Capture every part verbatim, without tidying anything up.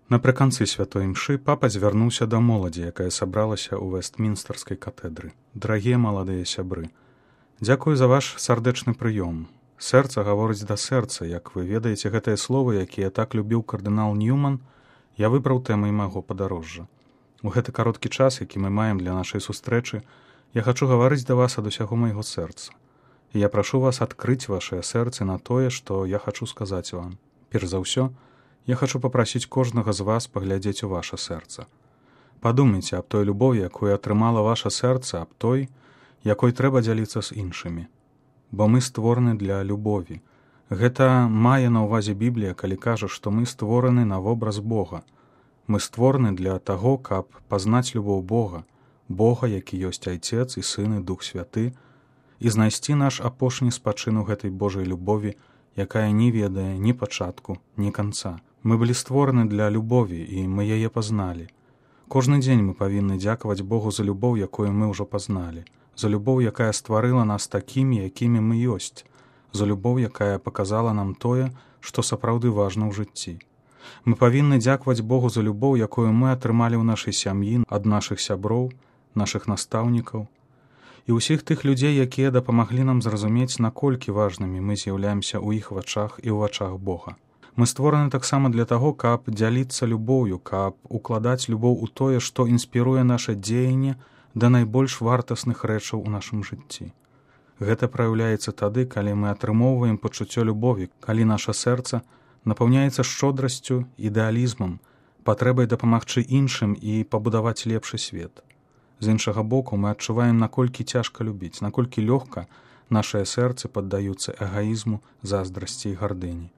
Напрыканцы святой імшы папа звярнуўся да моладзі, якая сабралася ў Вэстмінстэрскай катэдры. Дарагія маладыя сябры, дзякую за ваш сардэчны прыём. Сэрца гаворыць да сэрца, як вы ведаеце гэтыя словы, якія так любіў кардынал Ньюман, я выбраў тэмай майго падарожжа. У гэты кароткі час, які мы маем для нашай сустрэчы, я хачу гаварыць да вас ад усяго майго сэрца. І я прашу вас адкрыць вашыя сэрцы на тое, што я хачу сказаць вам. Перш за ўсё, я хачу папрасіць кожнага з вас паглядзець у ваша сэрца. Падумайце аб той любові, якую атрымала ваша сэрца, аб той, якой трэба дзяліцца з іншымі. Бо мы створаны для любові. Гэта мае на ўвазе Біблія, калі кажа, што мы створаны на вобраз Бога. Мы створаны для таго, каб пазнаць любоў Бога, Бога, які ёсць Айцец і Сын і Дух Святы, і знайсці наш апошні спачын у гэтай Божай любові, якая не ведае ні пачатку, ні канца. Мы былі створаны для любові, і мы яе пазналі. Кожны дзень мы павінны дзякаваць Богу за любоў, якую мы ўжо пазналі, за любоў, якая стварыла нас такімі, якімі мы ёсць, за любоў, якая паказала нам тое, што сапраўды важна ў жыцці. Мы павінны дзякаваць Богу за любоў, якую мы атрымалі ў нашай сям'і, ад нашых сяброў, нашых настаўнікаў, і ўсіх тых людзей, якія дапамаглі нам зразумець, наколькі важнымі мы з'яўляемся ў іх вачах і ў вачах Бога. Мы створаны таксама для таго, каб дзяліцца любоўю, каб укладаць любоў у тое, што інспіруе наша дзеянне да найбольш вартасных рэчаў у нашым жыцці. Гэта праяўляецца тады, калі мы атрымоўваем пачуццё любові, калі наша сэрца напаўняецца шчодрасцю, ідэалізмам, патрэбай дапамагчы іншым і пабудаваць лепшы свет. З іншага боку, мы адчуваем, наколькі цяжка любіць, наколькі лёгка нашыя сэрцы паддаюцца эгаізму, заздрасці і гардыні.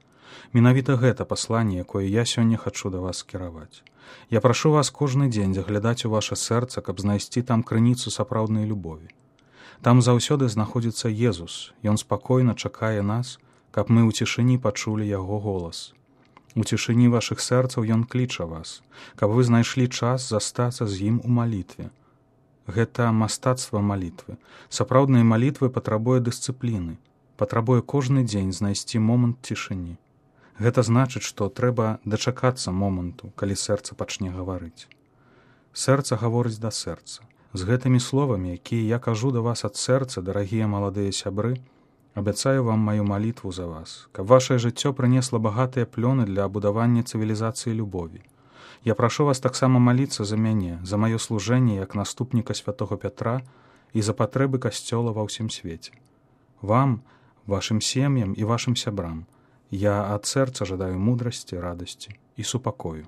Менавіта гэта пасланне, якое я сёння хачу да вас скіраваць. Я прашу вас кожны дзень заглядаць у ваша сэрца, каб знайсці там крыніцу сапраўднай любові. Там заўсёды знаходзіцца Езус, Ён спакойна чакае нас, каб мы ў цішыні пачулі Яго голас. У цішыні вашых сэрцаў Ён кліча вас, каб вы знайшлі час застацца з Ім у малітве. Гэта мастацтва малітвы. Сапраўдныя малітвы патрабуе дысцыпліны, патрабуе кожны дзень знайсці момант цішыні. Гэта значыць, што трэба дачакацца моманту, калі сэрца пачне гаварыць. Сэрца гаворыць да сэрца. З гэтымі словамі, якія я кажу да вас ад сэрца, дарагія маладыя сябры, абяцаю вам маю малітву за вас, каб вашае жыццё прынесла багатыя плёны для будавання цывілізацыі любові. Я прашу вас таксама маліцца за мяне, за маё служэнне як наступніка святога Пятра і за патрэбы касцёла ва ўсім свеце. Вам, вашым сем'ям і вашым сябрам я ад сэрца жадаю мудрасці, радасці і супакою.